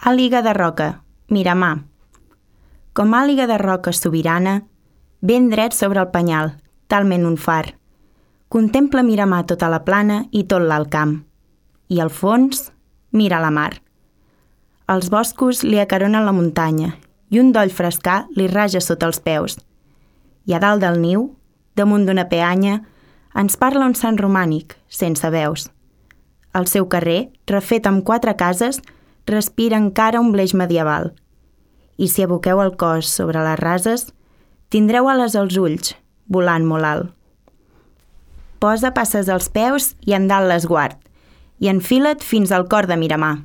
Àliga de roca, Miramar. Com àliga de roca sobirana, ben dret sobre el penyal, talment un far. Contempla Miramar tota la plana i tot l'alt camp. I al fons, mira la mar. Els boscos li acaronen la muntanya i un doll frescà li raja sota els peus. I a dalt del niu, damunt d'una peanya, ens parla un sant romànic, sense veus. El seu carrer, refet amb 4 cases, respira encara un bleix medieval. I si aboqueu el cos sobre les rases, tindreu ales als ulls, volant molt alt. Posa passes als peus i en dalt l'esguard, i enfila't fins al cor de Miramar.